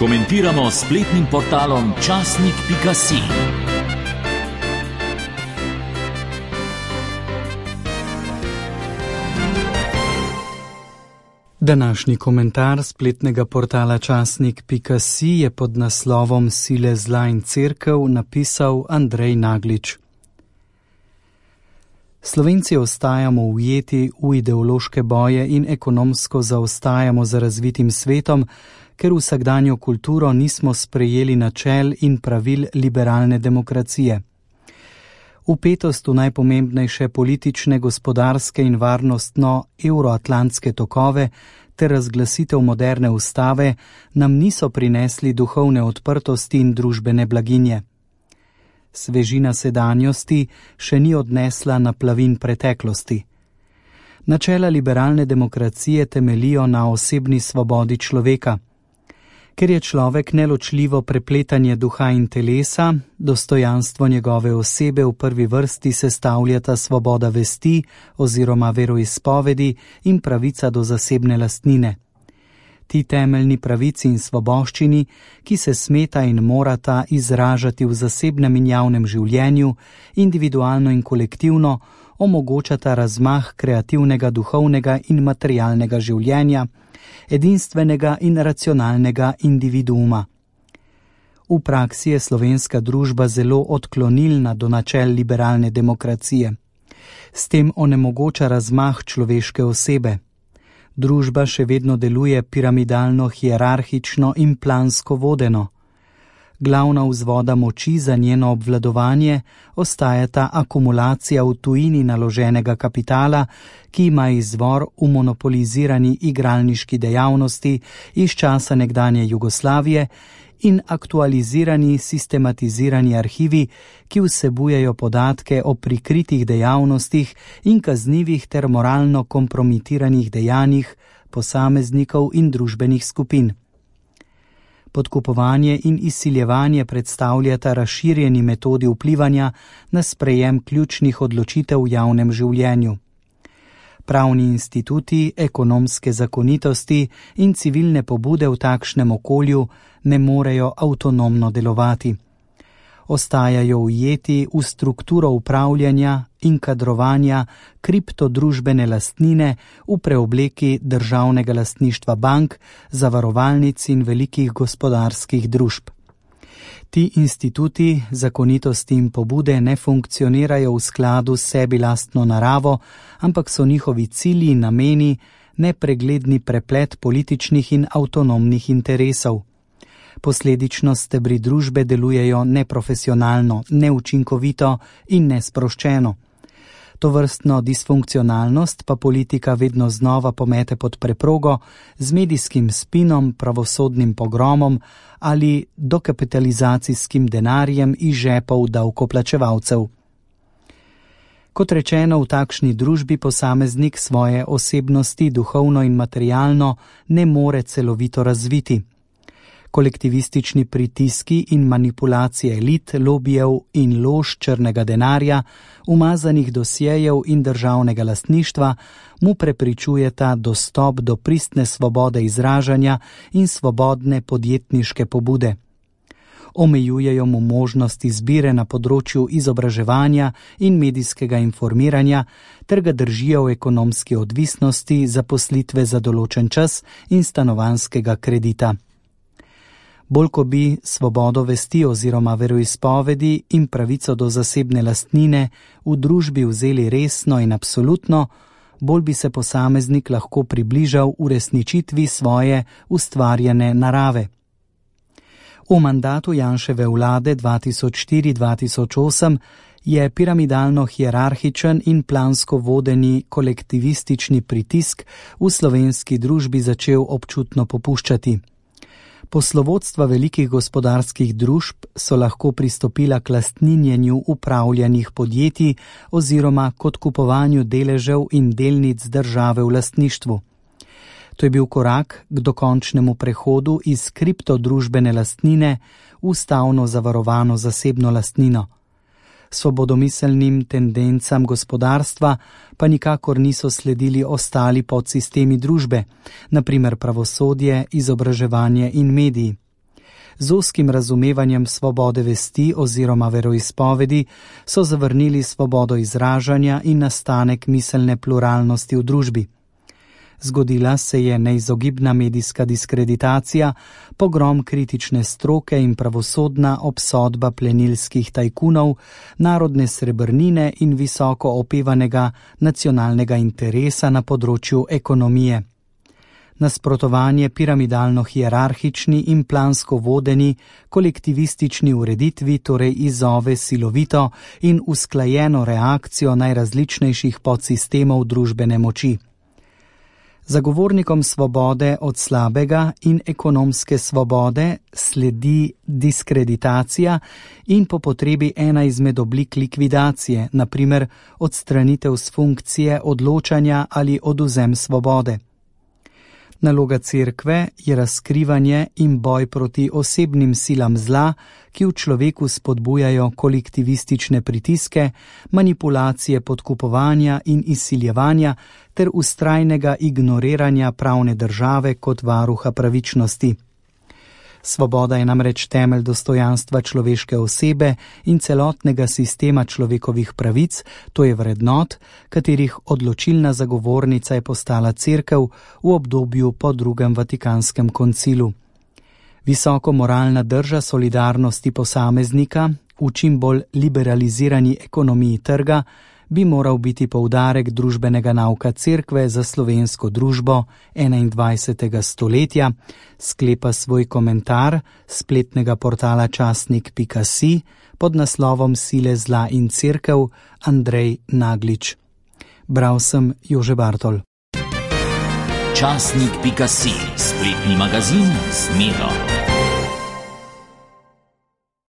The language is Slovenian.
Komentiramo s spletnim portalom časnik.si. Današnji komentar spletnega portala časnik.si je pod naslovom Sile zla in cerkev napisal Andrej Naglič. Slovenci ostajamo ujeti v ideološke boje in ekonomsko zaostajamo za razvitim svetom, ker vsakdanjo kulturo nismo sprejeli načel in pravil liberalne demokracije. Vpetost v najpomembnejše politične, gospodarske in varnostno euroatlantske tokove ter razglasitev moderne ustave nam niso prinesli duhovne odprtosti in družbene blaginje. Svežina sedanjosti še ni odnesla naplavin preteklosti. Načela liberalne demokracije temelijo na osebni svobodi človeka. Ker je človek neločljivo prepletanje duha in telesa, dostojanstvo njegove osebe v prvi vrsti sestavljata svoboda vesti oziroma veroizpovedi in pravica do zasebne lastnine. Ti temeljni pravici in svoboščini, ki se smeta in morata izražati v zasebnem in javnem življenju, individualno in kolektivno, omogočata razmah kreativnega, duhovnega in materialnega življenja, edinstvenega in racionalnega individuuma. V praksi je slovenska družba zelo odklonilna do načel liberalne demokracije. S tem onemogoča razmah človeške osebe. Družba še vedno deluje piramidalno, hierarhično in plansko vodeno. Glavna vzvoda moči za njeno obvladovanje ostajata akumulacija v tujini naloženega kapitala, ki ima izvor v monopolizirani igralniški dejavnosti iz časa nekdanje Jugoslavije in aktualizirani sistematizirani arhivi, ki vsebujejo podatke o prikritih dejavnostih in kaznivih ter moralno kompromitiranih dejanjih posameznikov in družbenih skupin. Podkupovanje in izsiljevanje predstavljata razširjeni metodi vplivanja na sprejem ključnih odločitev v javnem življenju. Pravni instituti, ekonomske zakonitosti in civilne pobude v takšnem okolju ne morejo avtonomno delovati. Ostajajo ujeti v strukturo upravljanja in kadrovanja kriptodružbene lastnine v preobleki državnega lastništva bank, zavarovalnic in velikih gospodarskih družb. Ti instituti, zakonitosti in pobude ne funkcionirajo v skladu s sebi lastno naravo, ampak so njihovi cilji in nameni nepregledni preplet političnih in avtonomnih interesov. Posledično stebri družbe delujejo neprofesionalno, neučinkovito in nesproščeno. Tovrstno disfunkcionalnost pa politika vedno znova pomete pod preprogo z medijskim spinom, pravosodnim pogromom ali dokapitalizacijskim denarjem iz žepov davkoplačevalcev. Kot rečeno, v takšni družbi posameznik svoje osebnosti duhovno in materialno ne more celovito razviti. Kolektivistični pritiski in manipulacije elit, lobijev in lož črnega denarja, umazanih dosjejev in državnega lastništva mu prepričujeta dostop do pristne svobode izražanja in svobodne podjetniške pobude. Omejujejo mu možnost izbire na področju izobraževanja in medijskega informiranja ter ga držijo v ekonomski odvisnosti, zaposlitve za določen čas in stanovanjskega kredita. Bolj ko bi svobodo vesti oziroma veroizpovedi in pravico do zasebne lastnine v družbi vzeli resno in absolutno, bolj bi se posameznik lahko približal uresničitvi svoje ustvarjene narave. V mandatu Janševe vlade 2004-2008 je piramidalno hierarhičen in plansko vodeni kolektivistični pritisk v slovenski družbi začel občutno popuščati. Poslovodstva velikih gospodarskih družb so lahko pristopila k lastninjenju upravljanih podjetij oziroma k odkupovanju deležev in delnic države v lastništvu. To je bil korak k dokončnemu prehodu iz kriptodružbene lastnine v ustavno zavarovano zasebno lastnino. Svobodomiselnim tendencam gospodarstva pa nikakor niso sledili ostali podsistemi družbe, na primer pravosodje, izobraževanje in mediji. Z ozkim razumevanjem svobode vesti oziroma veroizpovedi so zavrnili svobodo izražanja in nastanek miselne pluralnosti v družbi. Zgodila se je neizogibna medijska diskreditacija, pogrom kritične stroke in pravosodna obsodba plenilskih tajkunov, narodne srebrnine in visoko opevanega nacionalnega interesa na področju ekonomije. Nasprotovanje piramidalno-hierarhični in plansko vodeni kolektivistični ureditvi torej izzove silovito in usklajeno reakcijo najrazličnejših podsistemov družbene moči. Zagovornikom svobode od slabega in ekonomske svobode sledi diskreditacija in po potrebi ena izmed oblik likvidacije, na primer odstranitev s funkcije odločanja ali odvzem svobode. Naloga cerkve je razkrivanje in boj proti osebnim silam zla, ki v človeku spodbujajo kolektivistične pritiske, manipulacije podkupovanja in izsiljevanja ter vztrajnega ignoriranja pravne države kot varuha pravičnosti. Svoboda je namreč temelj dostojanstva človeške osebe in celotnega sistema človekovih pravic, to je vrednot, katerih odločilna zagovornica je postala cerkev v obdobju po drugem Vatikanskem koncilu. Visoko moralna drža solidarnosti posameznika v čim bolj liberalizirani ekonomiji trga bi moral biti poudarek družbenega nauka cerkve za slovensko družbo 21. stoletja, sklepa svoj komentar spletnega portala časnik.si pod naslovom Sile zla in cerkev Andrej Naglič. Bral sem Jože Bartol. Časnik.si, spletni magazin z Miro.